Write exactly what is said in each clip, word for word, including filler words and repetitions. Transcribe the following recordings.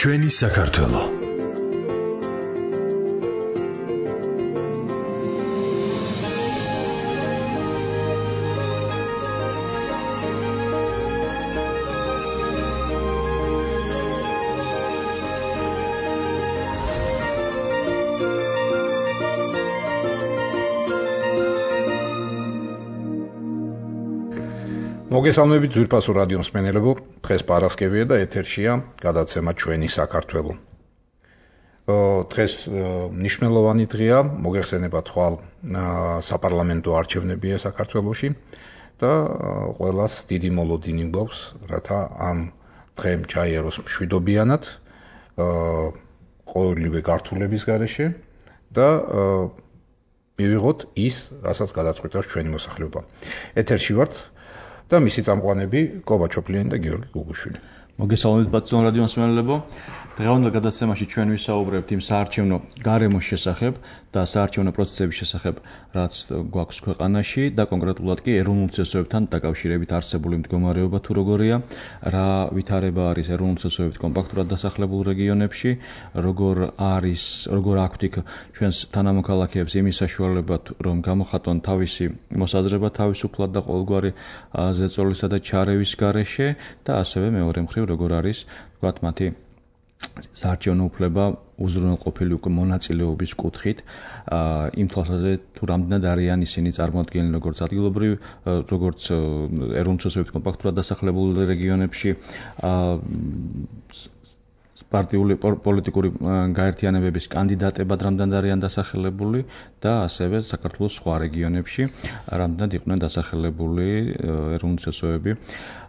ჩვენი საქართველო. მოგესალმებით ძვირფასო რადიო მსმენელებო, დღეს პარასკევია და ეთერშია გადაცემა ჩვენი საქართველო. დღეს მნიშვნელოვანი დღეა, მოგეხსენებათ ხვალ საპარლამენტო არჩევნებია საქართველოში და ყველას დიდი მოლოდინი გვაქვს, რათა ამ დღემ ჩაიაროს მშვიდობიანად, ყოველივე გართულების გარეშე და მივიღოთ ის, რასაც გადაწყვეტავს ჩვენი მოსახლეობა. ეთერში ვართ და მისი წამყვანები კობა ჩოპლიანი და გიორგი გუგუშვილი. მოგესალმებით ბატონო რადიო მსმენელებო. დღევანდელ გადაცემაში ჩვენ ვისაუბრებთ იმ საარჩევნო გარემოს შესახებ და საარჩევნო პროცესების შესახებ, რაც გვაქვს ქვეყანაში და კონკრეტულად კი ეროვნულ უცესოებთან დაკავშირებით არსებული მდგომარეობა თუ როგორია, რა ვითარება არის ეროვნულ უცესოებით კომპაქტურად დასახლებულ რეგიონებში, როგორ არის, როგორ აქვთ იქ ჩვენს თანამოქალაქეებს იმის საშუალება, რომ გამოხატონ თავისი მოსაზრება თავისუფლად და ყოველგვარი ზეწოლისა და ჩარევის გარეშე და ასევე მეორე მხრივ როგორ არის, ვთქვათ, მათი საარჩევნო უფლება უზრუნველყოფილი უკვე მონაწილეობის კუთხით, იმ თვალსაზრისით თუ რამდენად არიან ისინი წარმოადგენლი როგორც ადგილობრივ, როგორც ეროვნულ უცესოებით კომპაქტურად დასახლებულ რეგიონებში, პარტიული პოლიტიკური გაერთიანებების კანდიდატებად რამდენად არიან დასახელებული და ასევე საქართველოს სხვა რეგიონებში რამდენად იყვნენ დასახელებული ეროვნულ უცესოები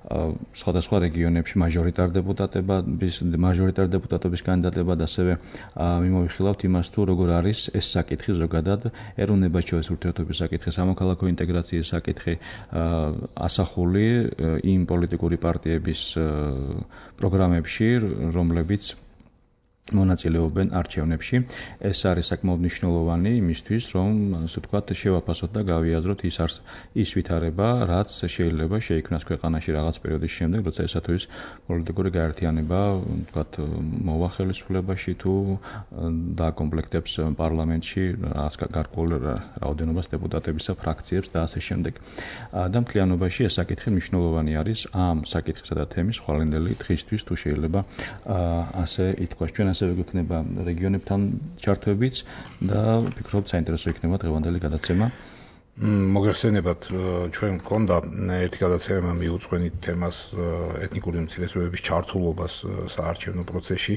სხვადასხვა რეგიონებში მაჟორიტარ დეპუტატების მაჟორიტარ დეპუტატობის კანდიდატებად ასევე მიმოვიხილავთ იმას თუ როგორ არის ეს საკითხი ზოგადად ეროვნებაჩოვის ურთიერთობის საკითხი, სამოქალაქო ინტეგრაციის საკითხი ასახული იმ პოლიტიკური პარტიების პროგრამებში, რომლებიც მონაწილეობენ არჩევნებში. ეს არის საკმაოდ მნიშვნელოვანი იმისთვის, რომ ასე ვთქვათ, შევაფასოთ და გავიაზროთ ის არს ის ვითარება, რაც შეიძლება შეიქმნას ქვეყანაში რაღაც პერიოდის შემდეგ, როცა ესა თუ ის პოლიტიკური გაერთიანება, ვთქვათ, მოვა ხელისუფლებაში თუ დააკომპლექტებს პარლამენტში რაღაც გარკვეულ რაოდენობას დეპუტატებისა, ფრაქციებს და ასე შემდეგ. და მთლიანობაში ეს საკითხი მნიშვნელოვანი არის ამ საკითხისა და თემის ხვალინდელი დღისთვის, თუ შეიძლება ასე ითქვას. ჩვენ ასევე გვექნება რეგიონებთან ჩართვებიც და ვფიქრობ საინტერესო იქნება დღევანდელი გადაცემა. მოგეხსენებათ, ჩვენ გქონდა ერთი გადაცემა მიუძღვენით თემას ეთნიკური უმცირესობების ჩართულობას საარჩევნო პროცესში.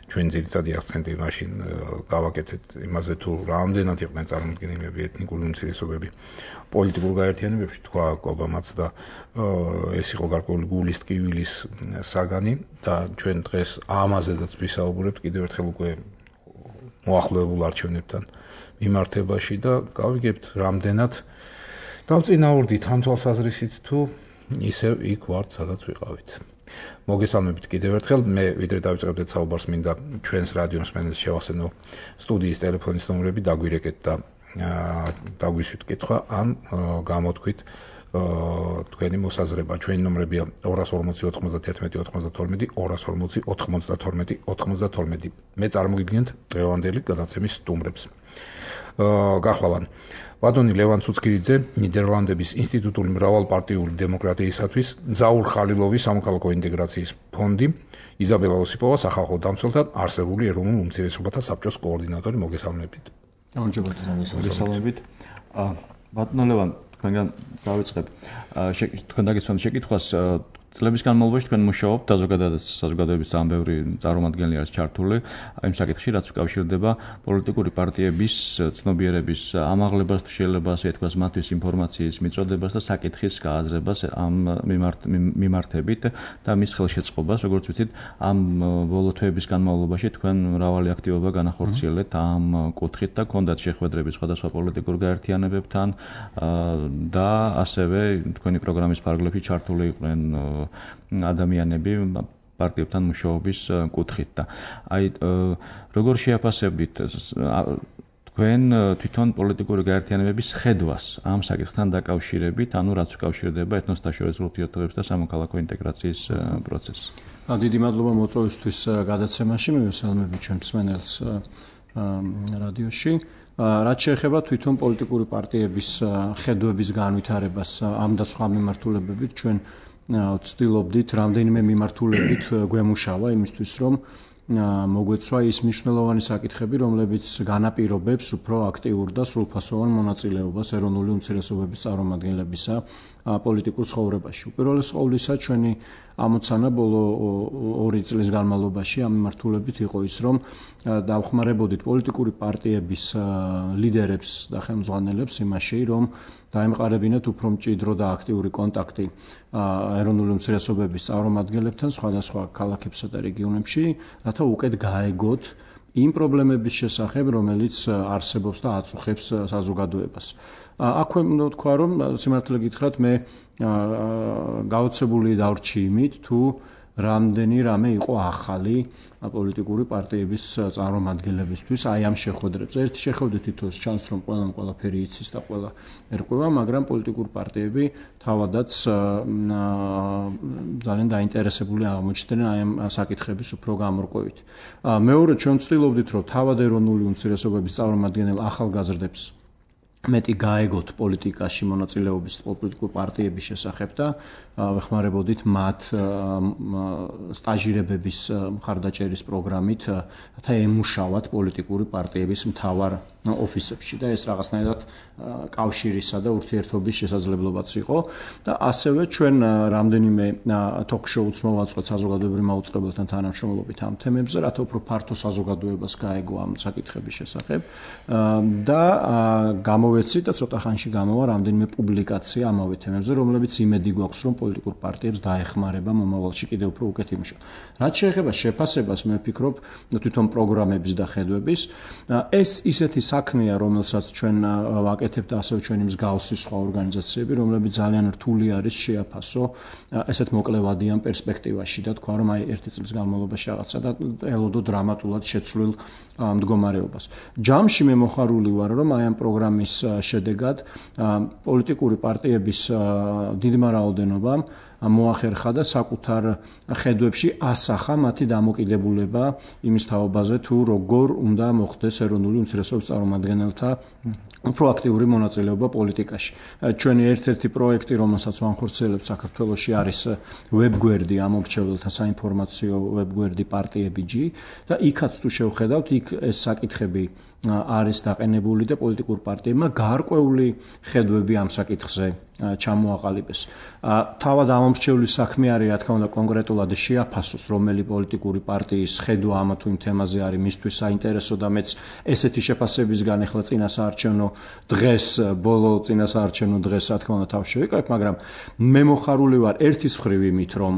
ჩვენ ძირითადი აქცენტი მაშინ გავაკეთეთ იმაზე, თუ რამდენად იყვნენ წარმოდგენილები ეთნიკური უმცირესობები პოლიტიკურ გაერთიანებებში, თქვა კობამაც და ეს იყო გარკვეული გულის ტკივილის საგანი და ჩვენ დღეს ამაზედაც ვისაუბრებთ კიდევ ერთხელ უკვე მოახლოებულ არჩევნებთან მიმართებაში და გავიგებთ რამდენად დავწინაურდით ამ თვალსაზრისით თუ ისევ იქ ვართ, სადაც ვიყავით. მოგესალმებით კიდევ ერთხელ, მე ვიდრე დავიწყებდეთ საუბარს, მინდა ჩვენს რადიო მსმენელს შევახსენო სტუდიის ტელეფონის ნომრები, დაგვირეკეთ და დაგვისვით კითხვა, ან გამოთქვით თქვენი მოსაზრება. ჩვენი ნომრებია ორას ორმოცი ოთხმოცდათერთმეტი ოცდათორმეტი, ორას ორმოცი ოთხმოცდათორმეტი ოცდათორმეტი. მე წარმოგიდგენთ დღევანდელი გადაცემის სტუმრებს. გახლავან ბატონი ლევან ცუცქირიძე, ნიდერლანდების ინსტიტუტური მრავალპარტიული დემოკრატიისათვის ზაურ ხალილოვის სამოქალაქო ინტეგრაციის ფონდი, იზაბელა ოსიპოვა სახალხო დამცველთა არსებული ეროვნულ უმცირესობათა საბჭოს კოორდინატორი. მოგესალმებით. მოგესალმებით. ბატონო ლევან, თქვენგან დავიწყებ. თქვენ დაგეცნოთ შეკითხვას. წლების განმავლობაში თქვენ მუშაობთ და ზოგადად საზოგადოების ძალიან ბევრი წარმომადგენელი არის ჩართული იმ საკითხში, რაც უკავშირდება პოლიტიკური პარტიების ცნობიერების ამაღლებას, თუ შეიძლება ასე ითქვას, მათთვის ინფორმაციის მიწოდებას და საკითხის გააზრებას ამ მიმართებით და მის ხელშეწყობას, როგორც ვიცით, ამ ბოლო თვეების განმავლობაში თქვენ მრავალი აქტივობა განახორციელეთ ამ კუთხით და გქონდათ შეხვედრები სხვადასხვა პოლიტიკურ გაერთიანებებთან და ასევე თქვენი პროგრამის ფარგლებში ჩართული იყვნენ ადამიანები პარტიებთან მუშაობის კუთხით და აი როგორ შეაფასებთ თქვენ თვითონ პოლიტიკური გაერთიანებების ხედვას ამ საკითხთან დაკავშირებით, ანუ რაც უკავშირდება ეთნოსთაშორისო ურთიერთობებს და სამოქალაქო ინტეგრაციის პროცესს. დიდი მადლობა მოწვევისთვის გადაცემაში, მივესალმები ჩვენ მსმენელს რადიოში. რაც შეეხება თვითონ პოლიტიკური პარტიების ხედვების განვითარებას ამ და სხვა მიმართულებებით, ჩვენ ვცდილობდით რამდენიმე მიმართულებით გვემუშავა იმისთვის, რომ მოგვეცვა ის მნიშვნელოვანი საკითხები, რომლებიც განაპირობებს უფრო აქტიურ და სრულფასოვან მონაწილეობას ეროვნული უმცირესობების წარმომადგენლებისა პოლიტიკურ ცხოვრებაში. უპირველეს ყოვლისა, ჩვენი ამოცანა ბოლო ორი წლის განმავლობაში ამ მიმართულებით იყო ის, რომ დავხმარებოდით პოლიტიკური პარტიების ლიდერებს და ხელმძღვანელებს იმაში, რომ დაემყარებინათ უფრო მჭიდრო და აქტიური კონტაქტი ეროვნული უმცირესობების წარმომადგენლებთან სხვადასხვა ქალაქებსა და რეგიონებში, რათა უკეთ გაეგოთ იმ პრობლემების შესახებ, რომელიც არსებობს და აწუხებს საზოგადოებას. აქვე უნდა ვთქვა, რომ სიმართლე გითხრათ, მე გაოცებული დავრჩი იმით, თუ რამდენი რამე იყო ახალი პოლიტიკური პარტიების წარმომადგენლებისთვის აი ამ შეხვედრებს. ერთი შეხვედრით თითქოს ჩანს, რომ ყველამ ყველაფერი იცის და ყველა ერკვევა, მაგრამ პოლიტიკური პარტიები თავადაც ძალიან დაინტერესებული აღმოჩნდნენ აი ამ საკითხების უფრო გამორკვევით. მეორე, ჩვენ ვცდილობდით, რომ თავად ეროვნული უმცირესობების წარმომადგენელ ახალგაზრდებს მეტი გაეგოთ პოლიტიკაში მონაწილეობის პოლიტიკურ პარტიების შესახებ და ვეხმარებოდით მათ სტაჟირებების მხარდაჭერის პროგრამით, რათა ემუშავათ პოლიტიკური პარტიების მთავარ ოფისებში და ეს რაღაცნაირად კავშირისა და ურთიერთობის შესაძლებლობაც იყო და ასევე ჩვენ რამდენიმე ток-შოუც მოვაწყვეთ საზოგადოებრივ მაუწყებელთან თანამშრომლობით ამ თემებზე, რათა უფრო ფართო საზოგადოებას გაეგო ამ საკითხების შესახებ და გამოვეცით და ცოტა ხანში გამოვა რამდენიმე პუბლიკაცია ამავე თემებზე, რომლებიც იმედი გვაქვს, რომ პოლიტიკურ პარტიებს დაეხმარება მომავალში კიდევ უფრო უკეთ იმუშავა. რაც შეეხება შეფასებას, მე ვფიქრობ თვითონ პროგრამების და ხედვების, ეს ისეთი საქმეა, რომელსაც ჩვენ ვაკეთებთ ასევე ჩვენი მსგავსი სხვა ორგანიზაციები, რომლებიც ძალიან რთული არის შეაფასო ესეთ მოკლევადიან პერსპექტივაში და თქვა, რომ აი ერთი წლის განმავლობაში რაღაცა და ელოდო დრამატულად შეცვლილ მდგომარეობას. ჯამში მე მოხარული ვარ, რომ აი ამ პროგრამის შედეგად პოლიტიკური პარტიების დიდმა რაოდენობამ მოახერხა და საკუთარ ხედვებში ასახა მათი დამოკიდებულება იმის თაობაზე, თუ როგორ უნდა მოხდეს ეროვნული უმცირესობების წარმომადგენელთა უფრო აქტიური მონაწილეობა პოლიტიკაში. ჩვენი ერთ-ერთი პროექტი, რომელსაც ვახორციელებთ საქართველოში, არის ვებგვერდი ამორჩეველთა საინფორმაციო ვებგვერდი პარტიებიჯი და იქაც თუ შევხედავთ, იქ ეს საკითხები არის დაყენებული და პოლიტიკურ პარტიებმა გარკვეული ხედვები ამ საკითხზე ჩამოაყალიბეს. თავად ამორჩევლის საქმე არის, რა თქმა უნდა, კონკრეტულად შეაფასოს, რომელი პოლიტიკური პარტიის ხედვა ამა თუ იმ თემაზე არის მისთვის საინტერესო და მეც ესეთი შეფასებისგან ახლა წინასაარჩევნო დღეს, ბოლო წინასაარჩევნო დღეს, რა თქმა უნდა, თავს შევიკავებ, მაგრამ მე მოხარული ვარ ერთის მხრივ იმით, რომ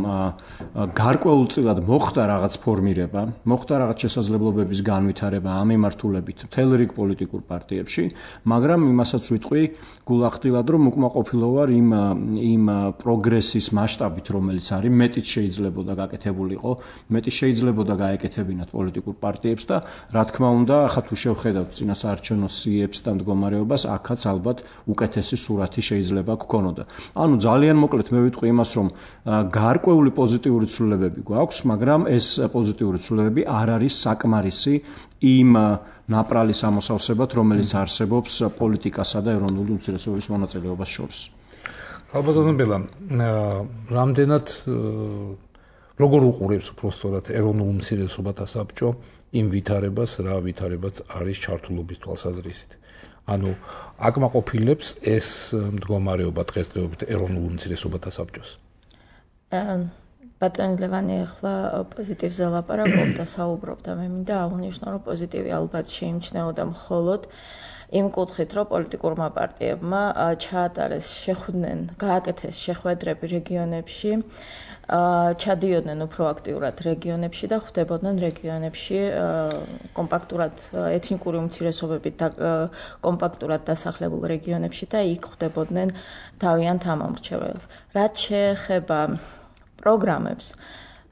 გარკვეულწილად მოხდა რაღაც ფორმირება, მოხდა რაღაც შესაძლებლობების განვითარება ამ მიმართულებით მთელ რიგ პოლიტიკურ პარტიებში, მაგრამ იმასაც ვიტყვი გულახდილად, რომ უკმაყოფილო ვარ იმ იმ პროგრესის მასშტაბით, რომელიც არის, მეტიც შეიძლებოდა გაკეთებულიყო, მეტიც შეიძლებოდა გაეკეთებინათ პოლიტიკურ პარტიებს და რა თქმა უნდა, ახლა თუ შევხედავთ წინასაარჩევნო სიებს და მდგომარეობას, აქაც ალბათ უკეთესი სურათი შეიძლება გქონოდა. ანუ ძალიან მოკლედ მე ვიტყვი იმას, რომ გარკვეული პოზიტიური ცვლილებები გვაქვს, მაგრამ ეს პოზიტიური ცვლილებები არ არის საკმარისი იმ ნაპრალის ამოსავსებად, რომელიც არსებობს პოლიტიკასა და ეროვნული უმცირესობების მონაწილეობას შორის. ალბათ ბელა, რამდენად როგორ უყურებს უბრალოდ ეროვნულ უმცირესობათა საბჭო იმ ვითარებას, რა ვითარებაც არის ჩართულობის თვალსაზრისით. ანუ აკმაყოფილებს ეს მდგომარეობა დღესდღეობით ეროვნულ უმცირესობათა საბჭოს. ბატონი ლევანი ახლა პოზიტივზე ლაპარაკობდა და საუბრობდა, მე მინდა აღვნიშნო, რომ პოზიტივი ალბათ შეიმჩნეოდა მხოლოდ იმ კუთხით, რომ პოლიტიკურმა პარტიებმა ჩაატარეს, შეხვდნენ, გააკეთეს შეხვედრები რეგიონებში, ჩადიოდნენ უფრო აქტიურად რეგიონებში და ხვდებოდნენ რეგიონებში კომპაქტურად ეთნიკური უმცირესობებით და კომპაქტურად დასახლებულ რეგიონებში და იქ ხვდებოდნენ თავიანთ ამომრჩეველს. რაც შეეხება პროგრამებს,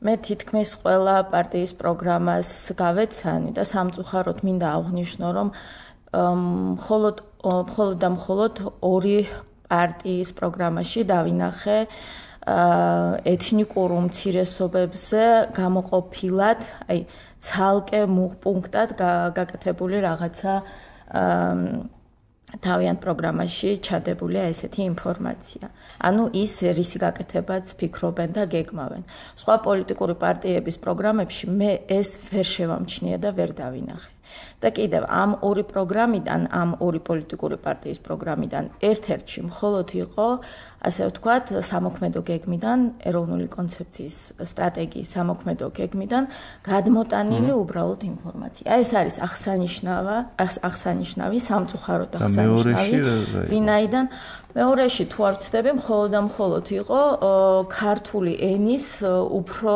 მე თითქმის ყველა პარტიის პროგრამას გავეცანი და სამწუხაროდ მინდა აღვნიშნო, რომ მხოლოდ მხოლოდ და მხოლოდ ორი პარტიის პროგრამაში დავინახე ეთნიკურ უმცირესობებზე გამოყოფილად, აი ცალკე პუნქტად გაკეთებული რაღაცა თავიანთ პროგრამაში ჩადებულია ესეთი ინფორმაცია. ანუ ის რისი გაკეთებაც ფიქრობენ და გეგმავენ. სხვა პოლიტიკური პარტიების პროგრამებში მე ეს ვერ შევამჩნია და ვერ დავინახე. და კიდევ ამ ორი პროგრამიდან, ამ ორი პოლიტიკური პარტიის პროგრამიდან ერთ-ერთში მხოლოდ იყო, ასე ვთქვათ, სამოქმედო გეგმიდან, ეროვნული კონცეფციის სტრატეგიის სამოქმედო გეგმიდან გადმოტანილი უბრალოდ ინფორმაცია. ეს არის აღსანიშნავა, აღსანიშნავი, სამწუხაროდ აღსანიშნავი, ვინაიდან მეორეში თუ არ ვცდები, მხოლოდ და მხოლოდ იყო ქართული ენის უფრო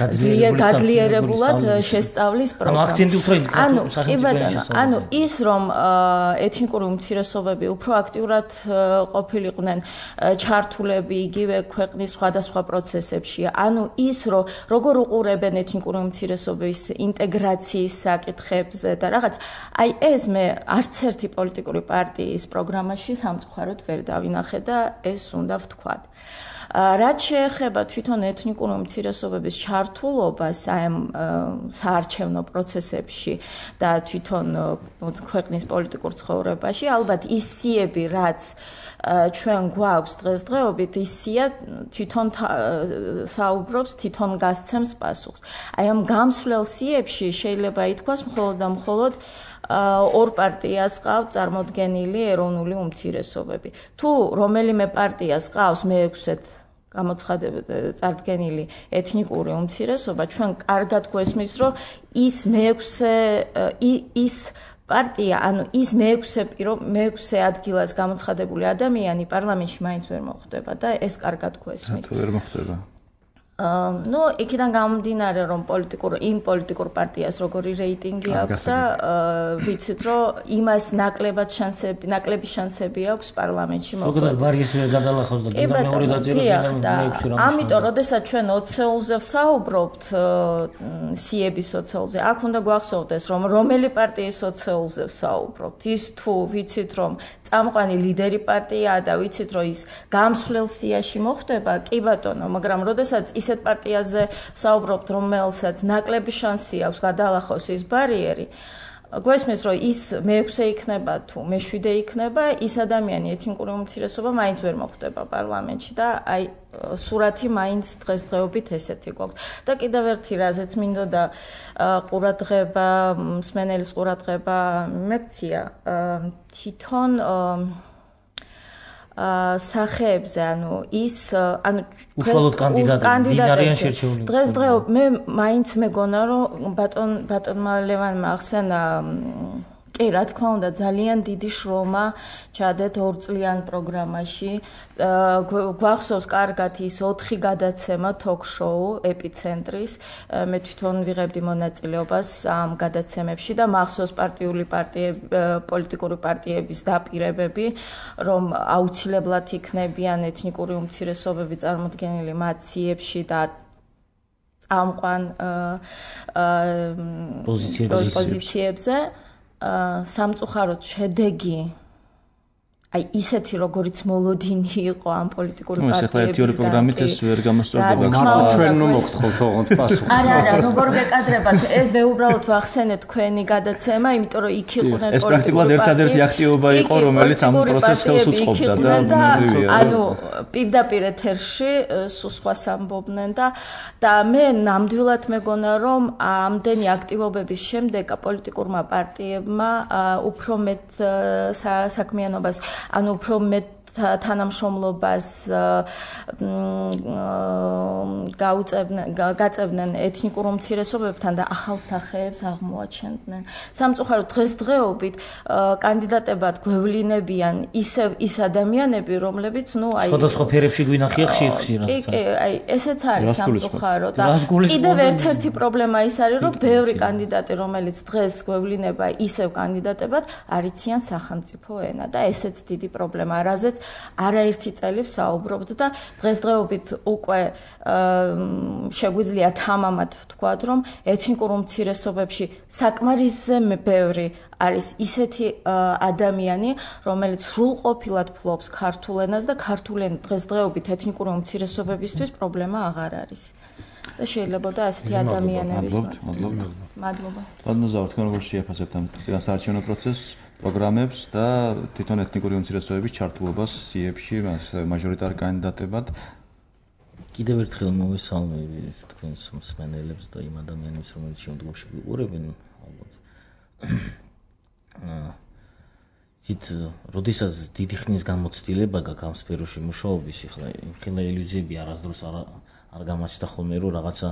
გაძლიერებულად შესწავლის პროგრამა. ანუ აქცენტი უფრო ანუ კი ბატონო, ანუ ის რომ ეთნიკური უმცირესობები უფრო აქტიურად ყოფილიყვნენ ჩართულები იგივე ქვეყნის სხვადასხვა პროცესებში, ანუ ის რომ როგორ უყურებენ ეთნიკური უმცირესობების ინტეგრაციის საკითხებზე და რაღაც, აი ეს მე არც ერთი პოლიტიკური პარტიის პროგრამაში სამწუხაროდ ვერ დავინახე და ეს უნდა ვთქვათ. რაც შეეხება თვითონ ეთნიკური უმცირესობების ჩართულობას აი ამ საარჩევნო პროცესებში და თვითონ ქვეყნის პოლიტიკურ ცხოვრებაში, ალბათ ის სიები, რაც ჩვენ გვაქვს დღესდღეობით, ის სია თვითონ საუბრობს, თვითონ გასცემს პასუხს. აი ამ გამსვლელ სიებში შეიძლება ითქვას მხოლოდ და მხოლოდ ორ პარტიას ყავთ წარმოდგენილი ეროვნული უმცირესობები. თუ რომელიმე პარტიას ყავს მეექვსე გამოცხადებით წარდგენილი ეთნიკური უმცირესობა, ჩვენ კარგად გვესმის, რომ ის მეექვსე ის პარტია, ანუ ის მეექვსე მეექვსე ადგილას გამოცხადებული ადამიანი პარლამენტში მაინც ვერ მოხვდება და ეს კარგად გვესმის. ვერ მოხვდება. ну, იქიდან გამომდინარე, რომ პოლიტიკურ იმ პოლიტიკურ პარტიას როგორი რეიტინგი აქვს და ვიცით, რომ იმას ნაკლებად შანსები, ნაკლები შანსები აქვს პარლამენტში მოხვდეს. ზოგადად ბარიეს ვერ გადალახავს და კიდევ მეორე დაწეროს მეექვსე რამს. ამიტომ, როდესაც ჩვენ ოცეულზე ვსაუბრობთ, სიების ოცეულზე, აქ უნდა გვახსოვდეს, რომ რომელი პარტიის ოცეულზე ვსაუბრობთ. ის თუ ვიცით, რომ წამყვანი ლიდერი პარტიაა და ვიცით, რომ ის გამსვლელ სიაში მოხვდება, კი ბატონო, მაგრამ როდესაც ისეთ პარტიაზე ვსაუბრობთ, რომელსაც ნაკლები შანსი აქვს გადალახოს ის ბარიერი, გვესმის, რომ ის მეექვსე იქნება თუ მეშვიდე იქნება, ის ადამიანი ეთნიკური უმცირესობა მაინც ვერ მოხვდება პარლამენტში და აი სურათი მაინც დღესდღეობით ესეთი გვაქვს. და კიდევ ერთი რაზეც მინდოდა ყურადღება, მსმენელის ყურადღება მეკცია, თვითონ სახეებზე, ანუ ის, ანუ უშუალოდ კანდიდატები დღესდღეობით მე მაინც მეგონა, რომ ბატონ ბატონმა ლევანმა ახსენა, კი, რა თქმა უნდა, ძალიან დიდი შრომა ჩადეთ ორწლიან პროგრამაში. გვახსოვს კარგად ის ოთხი გადაცემა ток-შოუ ეპიცენტრის. მე თვითონ ვიღებდი მონაწილეობას ამ გადაცემებში და მახსოვს პარტიული პარტიები, პოლიტიკური პარტიების დაპირებები, რომ აუცილებლად იქნებიან ეთნიკური უმცირესობები წარმოდგენილი მათ სიებში და წამყვან პოზიციებზე. სამწუხაროდ შედეგი აი ისეთი როგორიც მოლოდინი იყო ამ პოლიტიკური პარტიების. ეს ახლა ერთი ორი პროგრამით ეს ვერ გამოსწორდება. ჩვენ ნუ მოგთხოვთ ოღონდ პასუხს. არა, არა, როგორ გეკადრებათ? ეს მე უბრალოდ ვახსენე თქვენი გადაცემა, იმიტომ რომ იქ იყვნენ პოლიტიკური. ეს პრაქტიკულად ერთადერთი აქტივობა იყო, რომელიც ამ პროცესს ხელს უწყობდა და ანუ პირდაპირ ეთერში სულ სხვას ამბობდნენ და და მე ნამდვილად მეგონა, რომ ამდენი აქტივობების შემდეგ პოლიტიკურმა პარტიებმა უფრო მეტ საქმიანობას ანუ უფრო მეტ თანამშრომლობას გაუწევდნენ გაწევდნენ ეთნიკურ უმცირესობებთან და ახალ სახეებს აღმოაჩენდნენ. სამწუხაროდ დღესდღეობით კანდიდატებად გვევლინებიან ისევ ის ადამიანები, რომლებიც ნუ აი სხვადასხვა ფერებში გვინახია ხშირ-ხშირად. კი, კი, აი ესეც არის სამწუხარო და კიდევ ერთ-ერთი პრობლემა ის არის, რომ ბევრი კანდიდატი, რომელიც დღეს გვევლინება ისევ კანდიდატებად, არიციან სახელმწიფო ენა და ესეც დიდი პრობლემაა, რაზეც არაერთი წელი ვსაუბრობთ და დღესდღეობით უკვე შეგვიძლია თამამად ვთქვათ, რომ ეთნიკურ უმცირესობებში საკმარისზე ბევრი არის ისეთი ადამიანი, რომელიც სრულყოფილად ფლობს ქართულ ენას და ქართული ენა დღესდღეობით ეთნიკური უმცირესობებისთვის პრობლემა აღარ არის. და შეიძლება და ასეთი ადამიანების მადლობა. მადლობა. მადლობა, თქვენ როგორ შეაფასებთ ამ საარჩევნო პროცესს, პროგრამებს და თვითონ ეთნიკური უმცირესობების ჩართულობას სიებში, მაჟორიტარ კანდიდატებად? კიდევ ერთხელ მოვესალმები თქვენს მსმენელებს და იმ ადამიანებს, რომლებიც შემდგომში გვიყურებენ, ალბათ. ცით, როდესაც დიდი ხნის გამოცდილება გაქვს ამ სფეროში მუშაობის, ეხლა ხილა ილუზიები არასდროს არ არ გამაჩნდა ხოლმე, რომ რაღაცა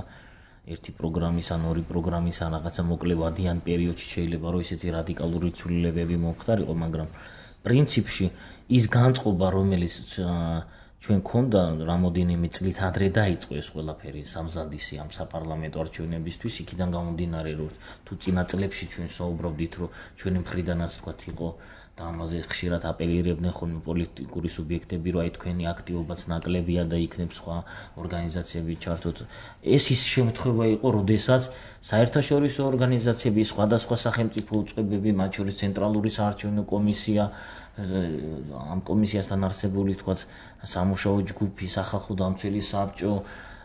ერთი პროგრამის ან ორი პროგრამის ან რაღაცა მოკლე ვადიან პერიოდში შეიძლება რომ ისეთი რადიკალური ცვლილებები მომხდარიყო, მაგრამ პრინციპში ის განწყობა, რომელიც ჩვენ ქონდა რამოდენიმე წლით ადრე დაიწყო ეს ყველაფერი სამზადისი ამ საპარლამენტო არჩევნებისთვის, იქიდან გამომდინარე, რომ თუ წინა წლებში ჩვენ საუბრობდით, რომ ჩვენი მხრიდანაც თქვათ იყო და ამაზე ხშირად აპელირებდნენ ხოლმე პოლიტიკური სუბიექტები, რომ აი თქვენი აქტივობაც ნაკლებია და იქნებ სხვა ორგანიზაციები ჩართოთ. ეს ის შემთხვევა იყო, როდესაც საერთაშორისო ორგანიზაციები, სხვადასხვა სახელმწიფო უწყებები, მათ შორის ცენტრალური საარჩევნო კომისია, ამ კომისიასთან არსებული თქვათ სამუშაო ჯგუფი, სახალხო დამცველი საბჭო,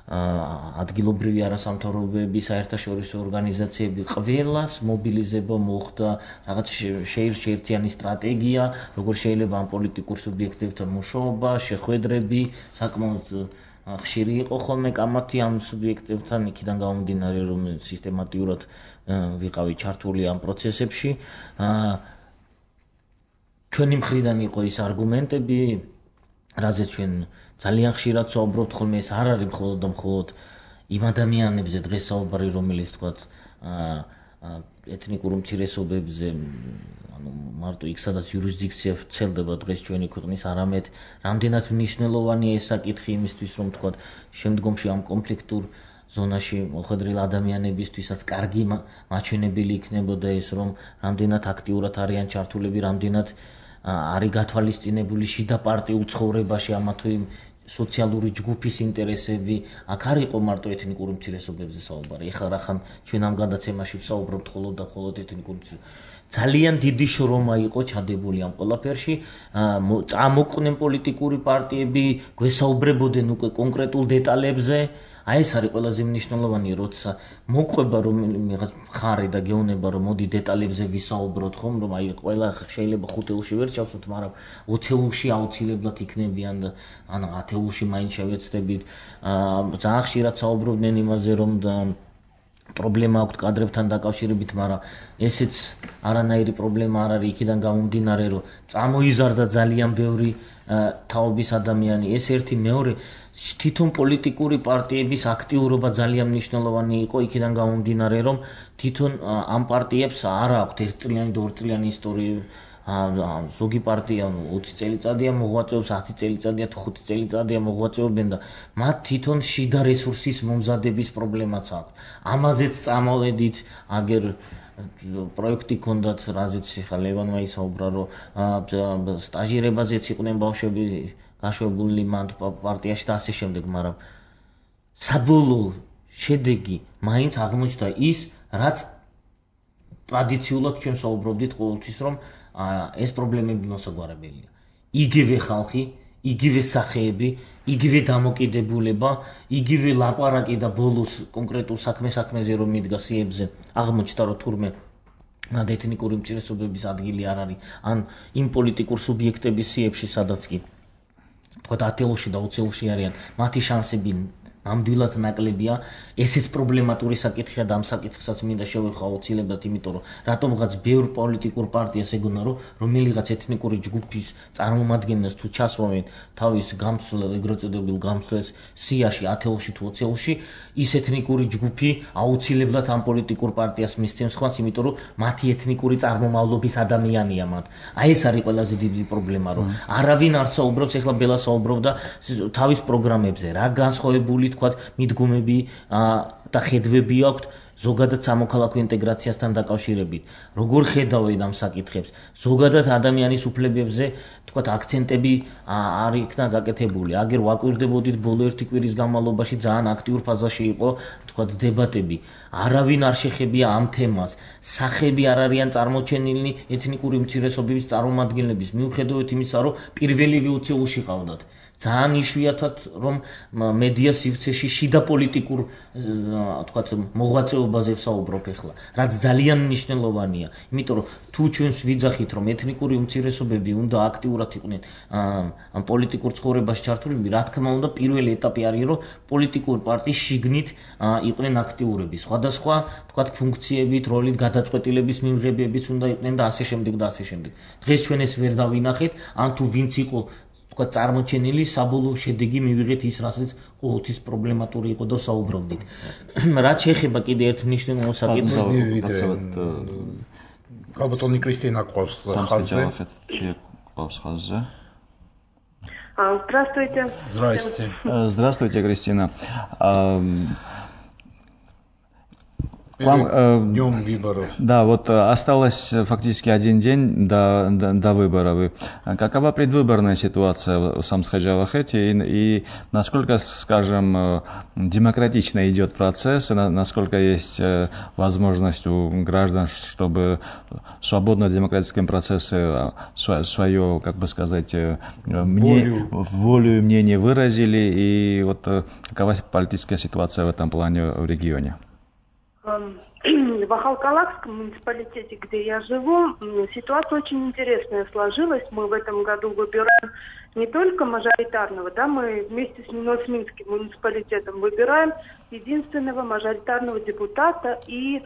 ადგილობრივი არასამთავრობოები, საერთაშორისო ორგანიზაციები ყველას მობილიზება მოხდა, რაღაც შეერთიანი სტრატეგია, როგორ შეიძლება ამ პოლიტიკურ სუბიექტებთან მუშაობა, შეხვედრები, საკმაოდ ხშირი იყო ხოლმე კამათი ამ სუბიექტებთან, იქიდან გამომდინარე, რომ სისტემატიურად ვიყავი ჩართული ამ პროცესებში. ჩვენი მხრიდან იყო ის არგუმენტები, რაზეც ჩვენ ძალიან ხშირად საუბრობთ ხოლმე, ეს არ არის მხოლოდ და მხოლოდ იმ ადამიანებზე დღეს საუბარი, რომელიც თქვათ ეთნიკურ უმცირესობებზე, ანუ მარტო იქ სადაც იურისდიქცია ვრცელდება დღეს ჩვენი ქვეყნის, არამედ რამდენად მნიშვნელოვანია ეს საკითხი იმისთვის, რომ თქვათ შემდგომში ამ კონფლიქტურ ზონაში მოხვედრილ ადამიანებისთვისაც კარგი მაჩვენებელი იქნებოდა ეს, რომ რამდენად აქტიურად არიან ჩართულები, რამდენად არის გათვალისწინებული შიდა პარტიულ ცხოვრებაში ამა თუ იმ სოციალური ჯგუფის ინტერესები, აქ არ იყო მარტო ეთნიკურ უმცირესობებზე საუბარი. ეხლა რახან ჩვენ ამ გადაცემაში ვსაუბრობთ მხოლოდ და მხოლოდ ეთნიკურ ძალიან დიდი შრომა იყო ჩადებული ამ ყველაფერში, წამოყვნენ პოლიტიკური პარტიები, გვესაუბრებოდნენ უკვე კონკრეტულ დეტალებზე. აი ეს არის ყველაზე მნიშვნელოვანი, როცა მოყვება რომელიმე მხარე და გეუბნება, რომ მოდი დეტალებზე ვისაუბროთ ხომ, რომ აი ყველა შეიძლება ხუთეულში ვერ ჩავსვათ, მაგრამ ოცეულში აუცილებლად იქნებიან და ან ათეულში მაინც შევეცდებით. ძალიან ხშირად საუბრობდნენ იმაზე, რომ პრობლემა აქვს კადრებთან დაკავშირებით, მაგრამ ესეც არანაირი პრობლემა არ არის, იქიდან გამომდინარე, რომ წამოიზარდა ძალიან ბევრი თაობის ადამიანი. ეს ერთი, მეორე თვითონ პოლიტიკური პარტიების აქტიურობა ძალიან მნიშვნელოვანი იყო, იქიდან გამომდინარე, რომ თვითონ ამ პარტიებს არ აქვთ ერთწლიანი და ორწლიანი ისტორია. ზოგი პარტია ოცი წელიწადია მოღვაწეობს, ათი წელიწადია თუ ხუთი წელიწადია მოღვაწეობენ და მათ თვითონ შიდა რესურსის მომზადების პრობლემაც აქვს. ამაზეც წამოვედით, აგერ პროექტი ქონდათ, რაზეც ხა ლევანმა ისაუბრა, რომ სტაჟირებაზეც იყვნენ ბავშვები გაშვებული მან პარტიაში და ასე შემდეგ, მაგრამ საბოლოო შედეგი მაინც აღმოჩნდა ის, რაც ტრადიციულად ჩვენ საუბრობდით ყოველთვის, რომ ეს პრობლემები მოსაგვარებელია. იგივე ხალხი, იგივე სახეები, იგივე დამოკიდებულება, იგივე ლაპარაკი და ბოლოს კონკრეტულ საქმე-საქმეზე რომ მიდგა სიებზე, აღმოჩნდა რომ თურმე მათ ეთნიკური უმცირესობების ადგილი არ არის, ან იმ პოლიტიკურ სუბიექტების სიებში, სადაც კი თქვათ ათეულში და ოცეულში არიან, მათი შანსები ნამდვილად ნაკლებია. ესეც პრობლემატური საკითხია და ამ საკითხსაც მინდა შევეხო აუცილებლად, იმიტომ რომ რატომღაც ბევრ პოლიტიკურ პარტიას ეგონა, რომ რომელიღაც ეთნიკური ჯგუფის წარმომადგენელს თუ ჩასვავენ თავის გამსვლელ, ეგრეთ წოდებულ გამსვლელს სიაში, ათეულში თუ ოცეულში, ის ეთნიკური ჯგუფი აუცილებლად ამ პოლიტიკურ პარტიას მისცემს ხვანს, იმიტომ რომ მათი ეთნიკური წარმომავლობის ადამიანია მათ. აი ეს არის ყველაზე დიდი პრობლემა, რომ არავინ არ საუბრობს, ეხლა ბელა საუბრობდა თავის პროგრამებზე, რა განსხვავებული თქვათ მიდგომები და ხედვები აქვთ ზოგადად სამოქალაქო ინტეგრაციასთან დაკავშირებით, როგორ ხედავენ ამ საკითხებს, ზოგადად ადამიანის უფლებებზე, თქვათ, აქცენტები არ იქნა გაკეთებული. აგერ ვაკვირდებოდით ბოლო ერთი კვირის განმავლობაში ძალიან აქტიურ ფაზაში იყო, თქვათ, დებატები. არავინ არ შეხებია ამ თემას. სახები არ არიან წარმოჩენილი ეთნიკური უმცირესობების წარმომადგენლების, მიუხედავად იმისა, რომ პირველივე უცხოელში ყავდათ. ძალიან იშვიათად რომ მედია სივრცეში შიდა პოლიტიკურ თქვათ მოღვაწეობაზე ვსაუბრობ ახლა, რაც ძალიან მნიშვნელოვანია, იმიტომ რომ თუ ჩვენ ვიძახით რომ ეთნიკური უმცირესობები უნდა აქტიურად იყვნენ ამ პოლიტიკურ ცხოვრებაში ჩართულები, რა თქმა უნდა პირველი ეტაპი არის რომ პოლიტიკური პარტიის შიგნით იყვნენ აქტიურები, სხვადასხვა თქვათ ფუნქციებით, როლით, გადაწყვეტილების მიღებებით უნდა იყვნენ და ასე შემდეგ და ასე შემდეგ. დღეს ჩვენ ეს ვერ დავინახეთ, ან თუ ვინც იყო წარმოჩენილი საბოლოო შედეგი მივიღეთ ის, რასაც ყოველთვის პრობლემატური იყო და საუბრობდით. რაც შეეხება კიდე ერთ მნიშვნელოვან საკითხს, ალბათონი კრისტინა ყავს ხაზზე. ყავს ხაზზე. Здравствуйте. Здравствуйте. Здравствуйте, Кристина. Вам, э, днем выборов. Да, вот осталось фактически один день до, до, до выборов. Какова предвыборная ситуация в Самсхаджавахете и, и насколько, скажем, демократично идет процесс, и на, насколько есть возможность у граждан, чтобы в свободно-демократическом процессе свое, как бы сказать, мне, волю и мнение выразили, и вот какова политическая ситуация в этом плане в регионе? В Ахалкалакском муниципалитете, где я живу, ситуация очень интересная сложилась. Мы в этом году выбираем не только мажоритарного, да, мы вместе с Миносминским муниципалитетом выбираем единственного мажоритарного депутата и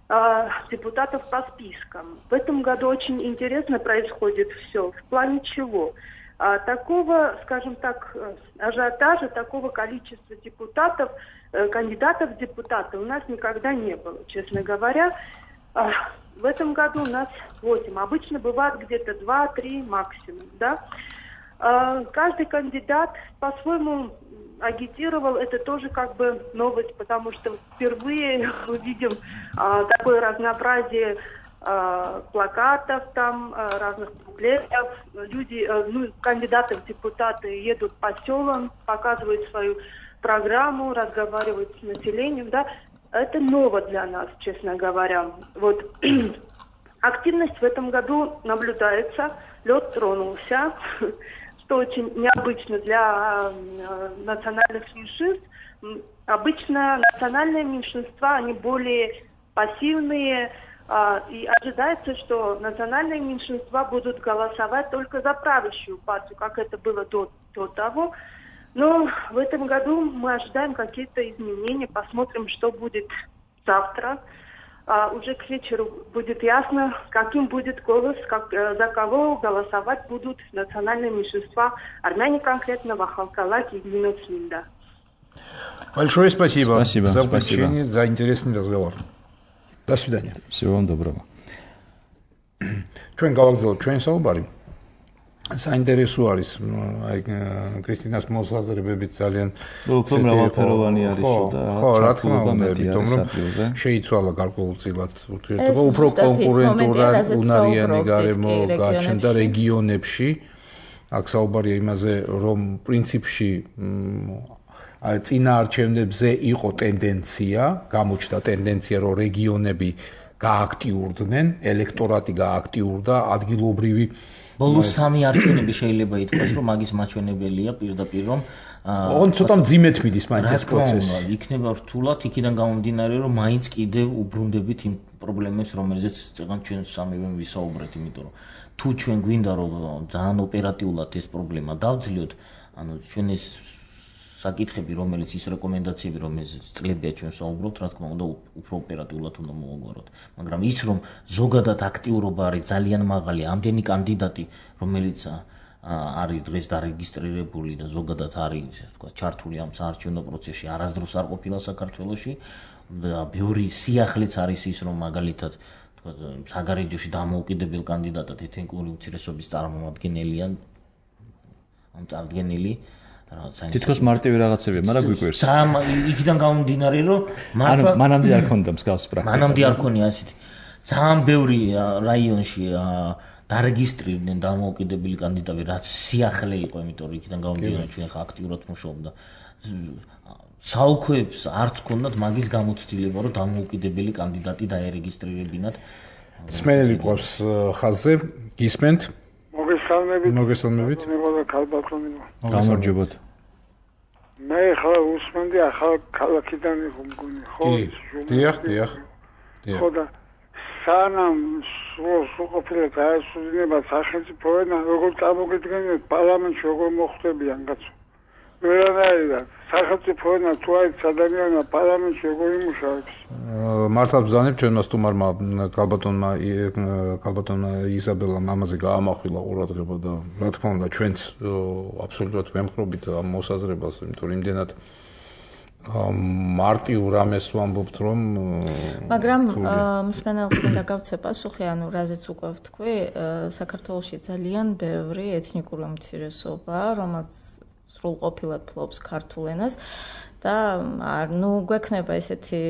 э, депутатов по спискам. В этом году очень интересно происходит все. В плане чего? А, такого, скажем так, ажиотажа, такого количества депутатов, кандидатов в депутаты у нас никогда не было, честно говоря. В этом году у нас восемь. Обычно бывает где-то два-три максимум, да. Каждый кандидат по-своему агитировал, это тоже как бы новость, потому что впервые мы видим такое разнообразие плакатов, там, разных буклетов. Люди, ну, кандидаты в депутаты едут по селам, показывают свою программу, разговаривают с населением, да, это ново для нас, честно говоря. Вот активность в этом году наблюдается, лед тронулся, что очень необычно для э, национальных меньшинств. Обычно национальные меньшинства, они более пассивные, э, и ожидается, что национальные меньшинства будут голосовать только за правящую партию, как это было до, до того. Но в этом году мы ожидаем какие-то изменения, посмотрим, что будет завтра. А уже к вечеру будет ясно, каким будет голос, как, за кого голосовать будут национальные меньшинства, армяне конкретно, в Ахалкалаке и Миносминда. Большое спасибо, спасибо за включение, за интересный разговор. До свидания. Всего вам доброго. Ჩვენ გავაგზავნოთ ჩვენ საუბარი. საინტერესო არის, აი კრისტინას მოსაზრებებით ძალიან უფრო მრავალფეროვანი არისო და ხო, რა თქმა უნდა, იმიტომ რომ შეიცვალა გარკვეულწილად ურთიერთობა, უფრო კონკურენტულად უნარიანი გარემო გაჩნდა რეგიონებში. აქ საუბარია იმაზე, რომ პრინციპში აი წინა არჩევნებზე იყო ტენდენცია, გამოჩნდა ტენდენცია, რომ რეგიონები გააქტიურდნენ, ელექტორატი გააქტიურდა, ადგილობრივი ბოლო სამი არჩევნები შეიძლება ითქვას, რომ მაგის მაჩვენებელია პირდაპირ, რომ ოღონ ცოტა მძიმედ მიდის მაინც ეს პროცესი. იქნება რთულად, იქიდან გამომდინარე, რომ მაინც კიდევ უბრუნდებით იმ პრობლემებს, რომელზეც წეგან ჩვენ სამივე ვისაუბრეთ, იმიტომ რომ თუ ჩვენ გვინდა რომ ძალიან ოპერატიულად ეს პრობლემა დავძლიოთ, ანუ ჩვენ ეს საკითხები, რომელიც ის რეკომენდაციები, რომელზეც წლებია ჩვენ საუბრობთ, რა თქმა უნდა, უფრო ოპერატიულად უნდა მოვაგვაროთ. მაგრამ ის რომ ზოგადად აქტიურობა არის ძალიან მაღალი, ამდენი კანდიდატი, რომელიც არის დღეს დარეგისტრირებული და ზოგადად არის, თქვა, ჩართული ამ საარჩევნო პროცესში, არასდროს არ ყოფილა საქართველოში და ბევრი სიახლეც არის ის, რომ მაგალითად, თქვა, საგარეჯოში დამოუკიდებელ კანდიდატად ეთნიკური უმცირესობის წარმომადგენელია, ამ წარდგენილი თითქოს მარტივი რაღაცებია, მაგრამ გვიკვირს. ძალიან იქიდან გამომდინარე, რომ მართლა მანამდე არ ქონდა მსგავსი პრაქტიკა. მანამდე არ ქონია ასეთი. ძალიან ბევრი რაიონში დარეგისტრირდნენ დამოუკიდებელი კანდიდატები, რაც სიახლე იყო, იმიტომ რომ იქიდან გამომდინარე ჩვენ ხა აქტიურად მუშაობდა. საუქვეებს არც ქონდათ მაგის გამოცდილება, რომ დამოუკიდებელი კანდიდატი დაერეგისტრირებინათ. სმენელი ყავს ხაზზე, გისმენთ? მოგესალმებით. მოგესალმებით. მეგობრებო, ქალბატონებო. გამარჯობათ. მე ხლა უსმენდი ახალ ქალაქიდან იყო მგონი, ხო? დიახ, დიახ. ხო და სანამ სრულყოფილად დაესრულება სახელმწიფოენა, როგორ წამოგიდგენიათ პარლამენტში, როგორ მოხვდებიან კაცო? ვერანაირად სახელმწიფოენა თუ არის ადამიანმა პარლამენტში როგორ იმუშავებს? მართლა ბრძანებ ჩვენმა სტუმარმა ქალბატონმა ქალბატონმა იზაბელამ ამაზე გაამახვილა ყურადღება და რა თქმა უნდა ჩვენც აბსოლუტურად ვემხრობით ამ მოსაზრებას, იმიტომ რომ იმდენად მარტივ რამეს ვამბობთ რომ მაგრამ მსმენელს მინდა გავცე პასუხი, ანუ რაზეც უკვე ვთქვი, საქართველოში ძალიან ბევრი ეთნიკური უმცირესობაა, რომელიც სრულყოფილად ფლობს ქართულ ენას და არ ნუ გვექნება ესეთი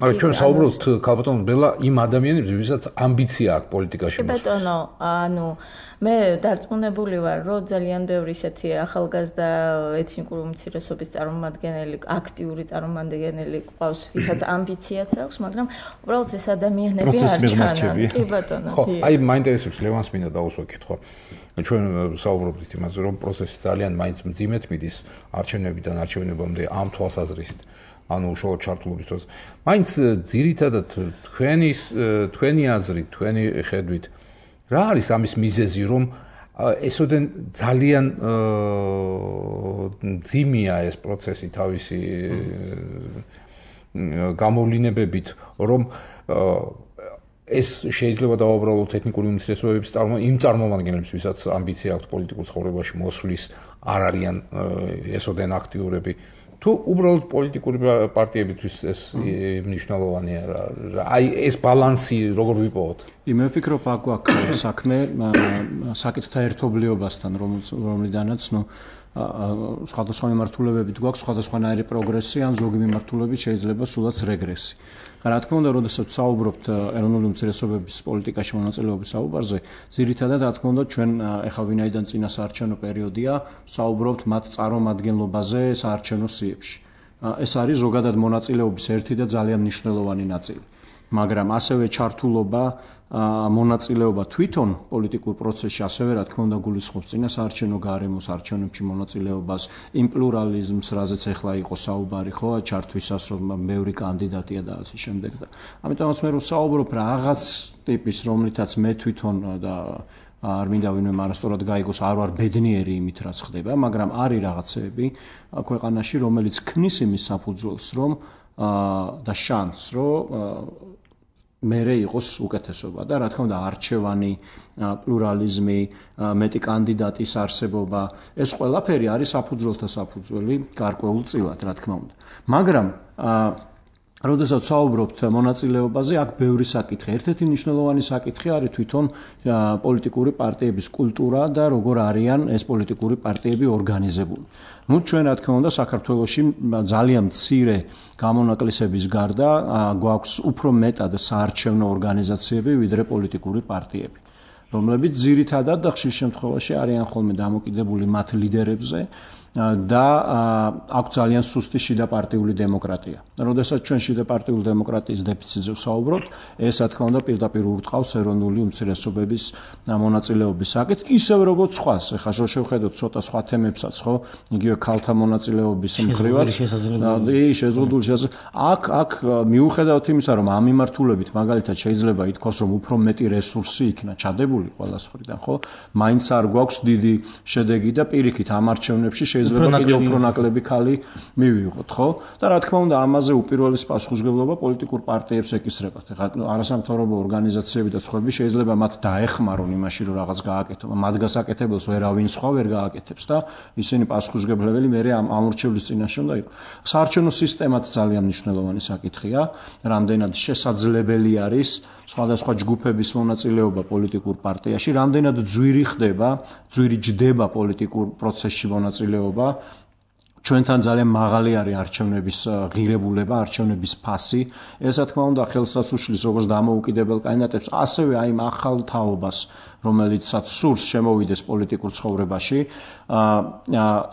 მაგრამ ჩვენ საუბრობთ ქალბატონ ბელა იმ ადამიანებს, ვისაც ამბიცია აქვს პოლიტიკაში მოსვლის. ბატონო, ანუ მე დარწმუნებული ვარ, რომ ძალიან ბევრი ესეთი ახალგაზრდა ეთნიკური უმცირესობის წარმომადგენელი, აქტიური წარმომადგენელი ყავს, ვისაც ამბიციაც აქვს, მაგრამ უბრალოდ ეს ადამიანები არ ჩანან. კი ბატონო. ხო, აი მაინტერესებს ლევანს მინდა დაუსვა კითხვა. ჩვენ საუბრობთ იმაზე, რომ პროცესი ძალიან მაინც მძიმედ მიდის არჩევნებიდან არჩევნებამდე ამ თვალსაზრისით, ანუ უშუალოდ ჩართულობის დროს. მაინც ძირითადად თქვენი თქვენი აზრით, თქვენი ხედვით, რა არის ამის მიზეზი, რომ ესოდენ ძალიან მძიმეა ეს პროცესი თავისი გამოვლინებებით, რომ ეს შეიძლება დავაბრალოთ ეთნიკური უმცირესობების წარმო იმ წარმომადგენლებს, ვისაც ამბიცია აქვს პოლიტიკურ ცხოვრებაში მოსვლის, არ არიან ესოდენ აქტიურები. თუ უბრალოდ პოლიტიკური პარტიებისთვის ეს მნიშვნელოვანია, აი ეს ბალანსი როგორ ვიპოვოთ? მე ვფიქრობ, აქ გვაქვს საქმე საკითხთა ერთობლიობასთან, რომლიდანაც ნუ სხვადასხვა მიმართულებებით გვაქვს სხვადასხვანაირი პროგრესი, ან ზოგი მიმართულებით შეიძლება სულაც რეგრესი. რა თქმა უნდა, როდესაც საუბრობთ ეროვნული უმცირესობების პოლიტიკაში მონაწილეობის საუბარზე, ძირითადად რა თქმა უნდა ჩვენ ეხლა ვინაიდან წინა საარჩევნო პერიოდია, საუბრობთ მათ წარმომადგენლობაზე საარჩევნო სიებში. ეს არის ზოგადად მონაწილეობის ერთი და ძალიან მნიშვნელოვანი ნაწილი. მაგრამ ასევე ჩართულობა მონაწილეობა თვითონ პოლიტიკურ პროცესში ასევე რა თქმა უნდა გულისხმობს წინა საარჩევნო გარემოს, არჩევნებში მონაწილეობას, იმ პლურალიზმს, რაზეც ახლა იყო საუბარი, ხო, ჩართვისას რომ ბევრი კანდიდატია და ასე შემდეგ და ამიტომაც მე რო საუბრობ რაღაც ტიპის, რომლითაც მე თვითონ და არ მინდა ვინმე მარასწორად გაიგოს, არ ვარ ბედნიერი იმით რაც ხდება, მაგრამ არის რაღაცეები ქვეყანაში, რომელიც ქმნის იმის საფუძველს, რომ და შანსს, რომ მერე იყოს უკეთესობა და რა თქმა უნდა არჩევანი, პლურალიზმი, მეტი კანდიდატის არსებობა, ეს ყველაფერი არის საფუძველთა საფუძველი გარკვეულწილად, რა თქმა უნდა. მაგრამ როდესაც საუბრობთ მონაწილეობაზე, აქ ბევრი საკითხი. ერთ-ერთი მნიშვნელოვანი საკითხი არის თვითონ პოლიტიკური პარტიების კულტურა და როგორ არიან ეს პოლიტიკური პარტიები ორგანიზებული. ნუ ჩვენ რა თქმა უნდა საქართველოში ძალიან მცირე გამონაკლისების გარდა გვაქვს უფრო მეტად საარჩევნო ორგანიზაციები ვიდრე პოლიტიკური პარტიები, რომლებიც ძირითადად და ხშირ შემთხვევაში არიან ხოლმე დამოკიდებული მათ ლიდერებზე და აქვს ძალიან სუსტი შიდა პარტიული დემოკრატია. როდესაც ჩვენ შიდა პარტიული დემოკრატიის დეფიციტზე ვსაუბრობთ, ეს რა თქმა უნდა პირდაპირ ურტყავს ეროვნული უმცირესობების მონაწილეობის საკითხს, ისევე როგორც სხვას. ეხლა შევხედოთ ცოტა სხვა თემებსაც, ხო? იგივე ქალთა მონაწილეობის მხრივაც. კი, შეზღუდული შესაძლებელი. აქ აქ მიუხედავად იმისა, რომ ამ მიმართულებით მაგალითად შეიძლება ითქვას, რომ უფრო მეტი რესურსი იქნა ჩადებული ყველას მხრიდან, ხო? მაინც არ გვაქვს დიდი შედეგი და პირიქით ამ არჩევნებში შეიძლება კიდევ უფრო ნაკლები ქალი მივიღოთ, ხო? და რა თქმა უნდა, ამაზე უპირველეს პასუხისმგებლობა პოლიტიკურ პარტიებს ეკისრებათ. ეხლა არასამთავრობო ორგანიზაციები და სხვები შეიძლება მათ დაეხმარონ იმაში, რომ რაღაც გააკეთონ. მათ გასაკეთებელს ვერავინ სხვა ვერ გააკეთებს და ისინი პასუხისმგებლებელი მერე ამ ამორჩევლის წინაშე უნდა იყოს. საარჩევნო სისტემაც ძალიან მნიშვნელოვანი საკითხია, რამდენად შესაძლებელი არის სხვადასხვა ჯგუფების მონაწილეობა პოლიტიკურ პარტიაში, რამდენად ძვირი ხდება, ძვირი ჯდება პოლიტიკურ პროცესში მონაწილეობა. ჩვენთან ძალიან მაღალი არის არჩევნების ღირებულება, არჩევნების ფასი. ეს რა თქმა უნდა ხელსაც უშლის როგორც დამოუკიდებელ კანდიდატებს, ასევე აი ამ ახალ თაობას, რომელიცაც სურს შემოვიდეს პოლიტიკურ ცხოვრებაში.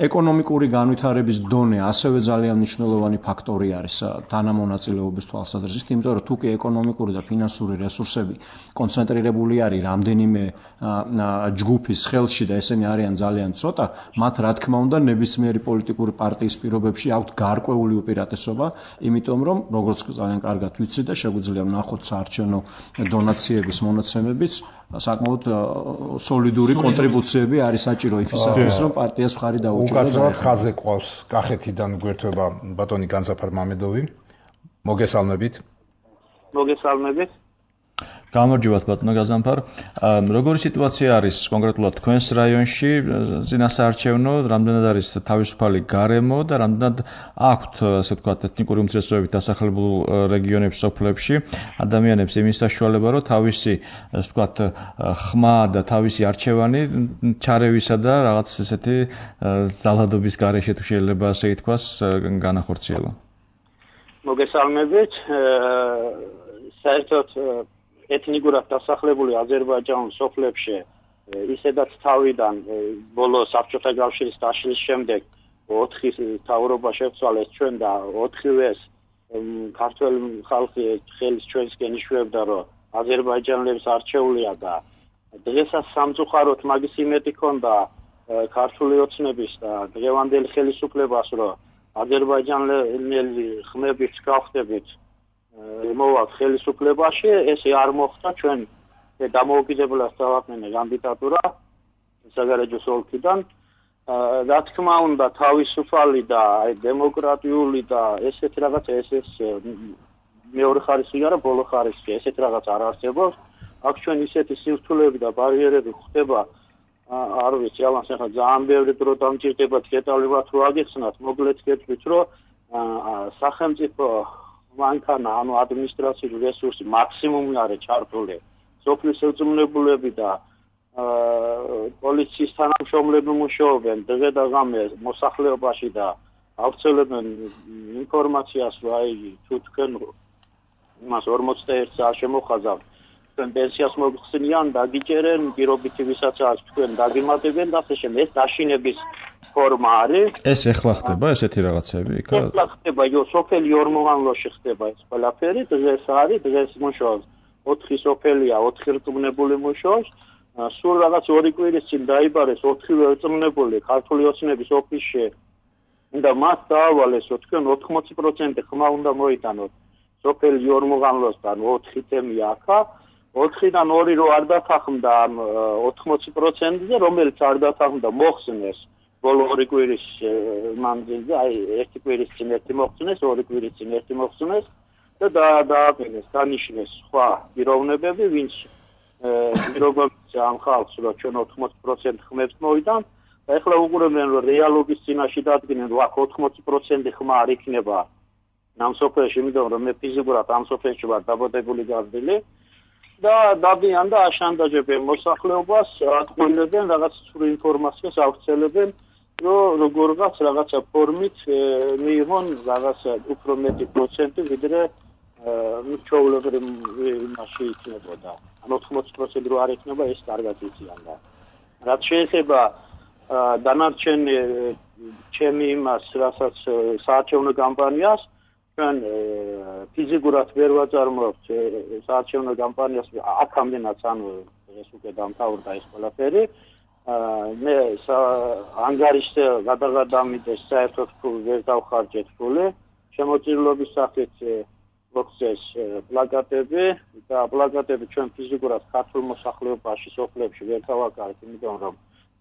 ეკონომიკური განვითარების დონე ასევე ძალიან მნიშვნელოვანი ფაქტორი არის თანამონაწილეობის თვალსაზრისით, იმიტომ რომ თუ კი ეკონომიკური და ფინანსური რესურსები კონცენტრირებული არის რამდენიმე ჯგუფის ხელში და ესენი არიან ძალიან ცოტა, მათ რა თქმა უნდა ნებისმიერი პოლიტიკური პარტიის პირობებში აქვთ გარკვეული უპირატესობა, იმიტომ რომ როგორც ძალიან კარგად ვიცი და შეგვიძლია ვნახოთ საარჩევნო დონაციების მონაცემებიც, საკმაოდ სოლიდური კონტრიბუციები არის საჭირო იმისათვის, რომ პარტიას მხარი დაუჭიროს. უკაცრავად ხაზზე ყავს კახეთიდან გვერდება ბატონი განსაფარ მამედოვი. მოგესალმებით. მოგესალმებით. გამარჯობათ ბატონო გაზანფარ. Როგორი სიტუაცია არის კონკრეტულად თქვენს რაიონში წინასაარჩევნო, რამდენად არის თავისუფალი გარემო და რამდენად აქვთ, ასე ვთქვათ, ეთნიკური უმცირესობებით დასახლებულ რეგიონებში, სოფლებში ადამიანებს იმის საშუალება, რომ თავისი, ასე ვთქვათ, ხმა და თავისი არჩევანი ჩარევისა და რაღაც ესეთი ძალადობის გარეშე თუ შეიძლება ასე ითქვას, განახორციელონ. მოგესალმებით. საერთოდ ეთნიკურად დასახლებული აზერბაიჯანის სოფლებში ისედაც თავიდან ბოლო საბჭოთა კავშირის დაშლის შემდეგ ოთხი თავრობა შეცვალეს ჩვენ და ოთხივეს ქართველი ხალხი ხელის ჩვენსკენ იშვებდა, რომ აზერბაიჯანელებს არჩეულია და დღესაც სამწუხაროდ მაგის იმედი ქონდა ქართული ოცნების და დღევანდელი ხელისუფლებას, რომ აზერბაიჯანელი ხმებით გავხდებით მოვაქვს ხელისუფლებაში, ესე არ მოხდა. ჩვენ დამოუკიდებლად დავაყენე კანდიდატურა საგარეჯოს ოლქიდან. რა თქმა უნდა, თავისუფალი და დემოკრატიული და ესეთ რაღაც ეს მეორე ხარისხი არა, ბოლო ხარისხი, ესეთ რაღაც არ არსებობს. აქ ჩვენ ისეთი სირთულეები და ბარიერები ხდება, არ ვიცი, ალანს ახლა ძალიან ბევრი დრო დამჭირდება დეტალურად რო აგიხსნათ, მოკლედ გეტყვით, რომ სახელმწიფო მანქანა, ანუ ადმინისტრაციული რესურსი მაქსიმუმი არის ჩართული. სოფლის ხელმძღვანელები და პოლიციის თანამშრომლები მუშაობენ დღე და ღამე მოსახლეობაში და ავრცელებენ ინფორმაციას, რომ აი თუ თქვენ იმას ორმოცდაერთ საათს შემოხაზავთ, თქვენ პენსიას მოგხსნიან, დაგიჭერენ, პირობითი ვისაც არის თქვენ დაგიმატებენ და ასე შემდეგ. ეს დაშინების ფორმა არის. ეს ეხლა ხდება ესეთი რაღაცები იქ? ეხლა ხდება, იო სოფელი ორმოღანლოში ხდება ეს ყველაფერი, დღეს არის, დღეს მუშაობს. ოთხი სოფელია, ოთხი რწმუნებული მუშაობს. სულ რაღაც ორი კვირის წინ დაიბარეს ოთხივე რწმუნებული ქართული ოცნების ოფისში. და მას დაავალეს, რომ თქვენ ოთხმოცი პროცენტი ხმა უნდა მოიტანოთ. სოფელი ორმოღანლოსთან ოთხი თემია აქა. ოთხიდან ორი რო არ დათანხმდა ამ ოთხმოცი პროცენტზე, რომელიც არ დათანხმდა, მოხსნეს. ბოლო ორი კვირის მანძილზე, აი ერთი კვირის წინ ერთი მოხსნეს, ორი კვირის წინ ერთი მოხსნეს და დააყენეს, დანიშნეს სხვა პიროვნებები, ვინც პირობებს ამ ხალხს, რომ ჩვენ ოთხმოცი პროცენტი ხმებს მოვიდან და ეხლა უყურებენ, რომ რეალობის წინაშე დადგნენ, რომ აქ ოთხმოცი პროცენტი ხმა არ იქნება ამ სოფელში, იმიტომ რომ მე ფიზიკურად ამ სოფელში ვარ დაბადებული გაზრდილი და დადიან და აშანტაჟებენ მოსახლეობას, ატყუილებენ, რაღაც სრულ ინფორმაციას ავრცელებენ, რომ როგორღაც რაღაცა ფორმით მიიღონ რაღაცა უფრო მეტი პროცენტი, ვიდრე ჩვეულებრივ იმაში იქნებოდა. ან ოთხმოცი პროცენტი რო არ იქნება, ეს კარგად იციან და რაც შეეხება დანარჩენი ჩემი იმას, რასაც საარჩევნო კამპანიას ჩვენ ფიზიკურად ვერ ვაწარმოებთ საარჩევნო კამპანიას აქამდენაც, ანუ ეს უკვე დამთავრდა ეს ყველაფერი. მე ანგარიშზე გადაღადამიდეს საერთოდ ფული ვერ დავხარჯეთ ფული. შემოწირულობის სახით მოხდეს პლაკატები და პლაკატები ჩვენ ფიზიკურად ქართულ მოსახლეობაში სოფლებში ვერ დავაკარეთ, იმიტომ რომ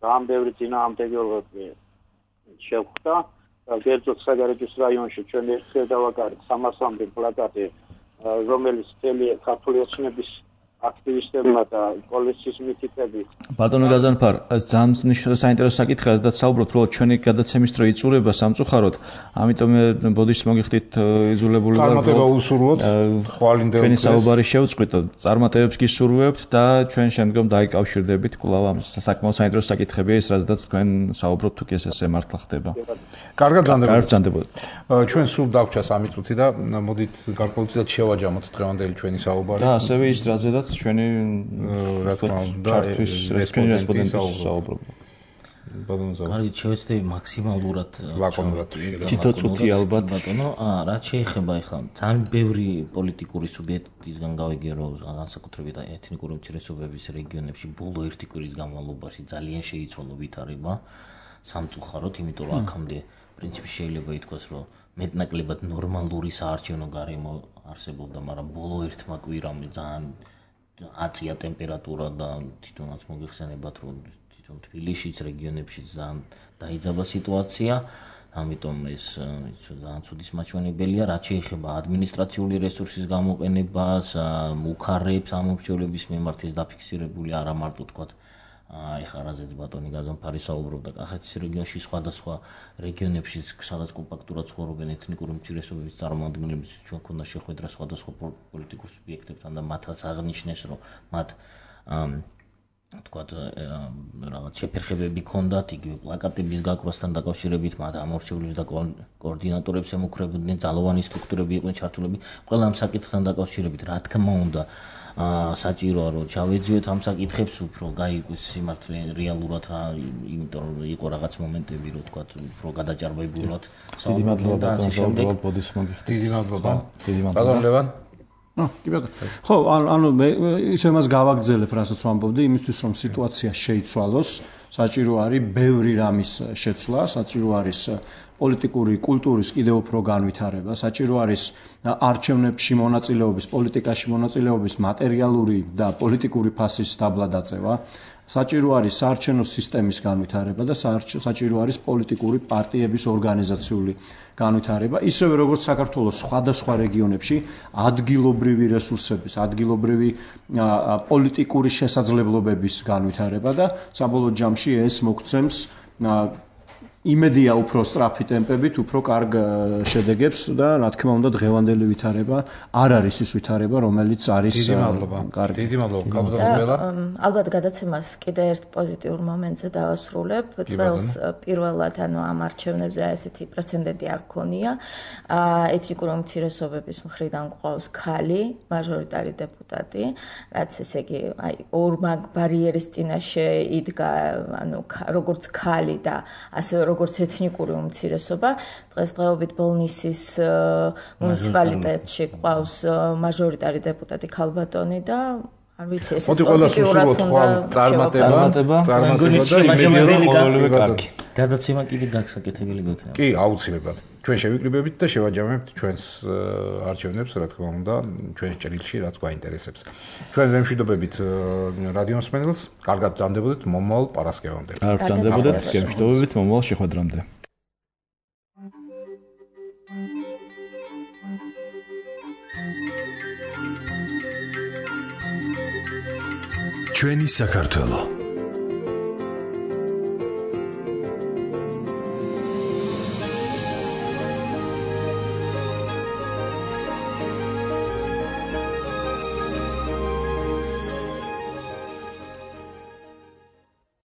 ძალიან ბევრი წინააღმდეგობები შევხვდა. გერძოდ საგარეჯოს რაიონში ჩვენ ერთხელ დავაკარეთ სამასამდე პლაკატი, რომელიც მთელი ქართული ოცნების აქტივისტებმა და პოლიციის მითითებით. ბატონო გაზანფარ, ძალიან საინტერესო საკითხია, და საუბრობთ, რომ ჩვენი გადაცემის დრო იწურება სამწუხაროდ, ამიტომ ბოდიშს მოგიხდით იძულებული ვარ. წარმატება უსურვოთ, ხვალინდელ ჩვენი საუბარი შევწყვიტოთ, წარმატებებს გისურვებთ და ჩვენ შემდგომ დაიკავშირდებით კვლავ ამ საკმაოდ საინტერესო საკითხებია ის, რაზედაც თქვენ საუბრობთ, თუ კი ესე მართლა ხდება. კარგად განდებოდეთ. ჩვენ სულ დაგვჭა სამი წუთი და მოდით გარკვეულწილად შევაჯამოთ დღევანდელი ჩვენი საუბარი. და ასევე ის, რაზედაც ჩვენი რა თქმა უნდა რესპონდენტის საუბრობ. კარგი, შევეცდები მაქსიმალურად ლაკონურად თითო წუთი ალბათ. ბატონო, აა რაც შეეხება ახლა ძალიან ბევრი პოლიტიკური სუბიექტისგან გავიგე, რომ განსაკუთრებით ეთნიკური უმცირესობების რეგიონებში ბოლო ერთი კვირის განმავლობაში ძალიან შეიცვალა ვითარება სამწუხაროდ, იმიტომ რომ აქამდე პრინციპი შეიძლება ითქვას, რომ მეტნაკლებად ნორმალური საარჩევნო გარემო არსებობდა, მაგრამ ბოლო ერთმა კვირამ ძალიან აწია ტემპერატურა და თვითონაც მოგეხსენებათ, რომ თვითონ თბილისშიც, რეგიონებშიც ძალიან დაიძაბა სიტუაცია, ამიტომ ეს ძალიან ცუდის მაჩვენებელია, რაც შეეხება ადმინისტრაციული რესურსის გამოყენებას, მუხარებს ამომრჩევლების მიმართ ეს დაფიქსირებული არა მარტო თქვათ ეხლა რაზეც ბატონი გაზანფარი საუბრობდა კახეთის რეგიონში, სხვადასხვა რეგიონებში სადაც კომპაქტურად ცხოვრობენ ეთნიკური უმცირესობების წარმომადგენლები, ჩვენ ქონდა შეხვედრა სხვადასხვა პოლიტიკურ სუბიექტებთან და მათაც აღნიშნეს, რომ მათ თქვათ რაღაც შეფერხებები ქონდათ იგივე პლაკატების გაკვრასთან დაკავშირებით, მათ ამორჩევლებს და კოორდინატორებს ემუქრებოდნენ, ძალოვანი სტრუქტურები იყვნენ ჩართულები ყველა ამ საკითხთან დაკავშირებით. რა თქმა უნდა, საჭიროა რომ ჩავეძიოთ ამ საკითხებს უფრო გაიგოს სიმართლე რეალურად რა, იმიტომ რომ იყო რაღაც მომენტები, რომ თქვათ უფრო გადაჭარბებულად საუბრობთ და ასე შემდეგ. დიდი მადლობა. დიდი მადლობა. ბატონ ლევან. ნუ, კი ბატონო. ხო, ანუ მე ისე მას გავაგრძელებ, რასაც ვამბობდი, იმისთვის რომ სიტუაცია შეიცვალოს, საჭირო არის ბევრი რამის შეცვლა, საჭირო არის პოლიტიკური კულტურის კიდევ უფრო განვითარება, საჭირო არის არჩევნებში მონაწილეობის, პოლიტიკაში მონაწილეობის მატერიალური და პოლიტიკური ფასის დაბლა დაწევა, საჭირო არის საარჩევნო სისტემის განვითარება და საჭირო არის პოლიტიკური პარტიების ორგანიზაციული განვითარება, ისევე როგორც საქართველოს სხვადასხვა რეგიონებში ადგილობრივი რესურსების, ადგილობრივი პოლიტიკური შესაძლებლობების განვითარება და საბოლოო ჯამში ეს მოგცემს იმედია უფრო სწრაფი ტემპებით, უფრო კარგ შედეგებს და რა თქმა უნდა დღევანდელი ვითარება არ არის ის ვითარება, რომელიც არის დიდი მადლობა. დიდი მადლობა. კაბუტოველა. ალბათ გადაცემას კიდე ერთ პოზიტიურ მომენტზე დავასრულებ. წელს პირველად ანუ ამ არჩევნებზე ესეთი პრეცედენტი არ ქონია. ეთნიკური უმცირესობების მხრიდან გვყავს ქალი, მაჟორიტარი დეპუტატი, რაც ესე იგი აი ორმა ბარიერის წინაშე იდგა, ანუ როგორც ქალი და ასევე როგორც ეთნიკური უმცირესობა. დღესდღეობით ბოლნისის მუნიციპალიტეტში გვყავს მაჟორიტარი დეპუტატი ქალბატონი და არ ვიცი, ეს პოზიტიურად უნდა წარმატება, წარმატება და იმედია კარგი. გადაცემა კიდე გასაკეთებელი გვექნება. კი, აუცილებლად. ჩვენ შევიკრიბებით და შევაჯამებთ ჩვენს არჩევნებს, რა თქმა უნდა, ჩვენს ჭრილში, რაც გვაინტერესებს. ჩვენ ვემშვიდობებით რადიო მსმენელს, კარგად ბრძანდებოდეთ მომავალ პარასკევამდე. კარგად ბრძანდებოდეთ, გემშვიდობებით მომავალ შეხვედრამდე. ჩვენი საქართველო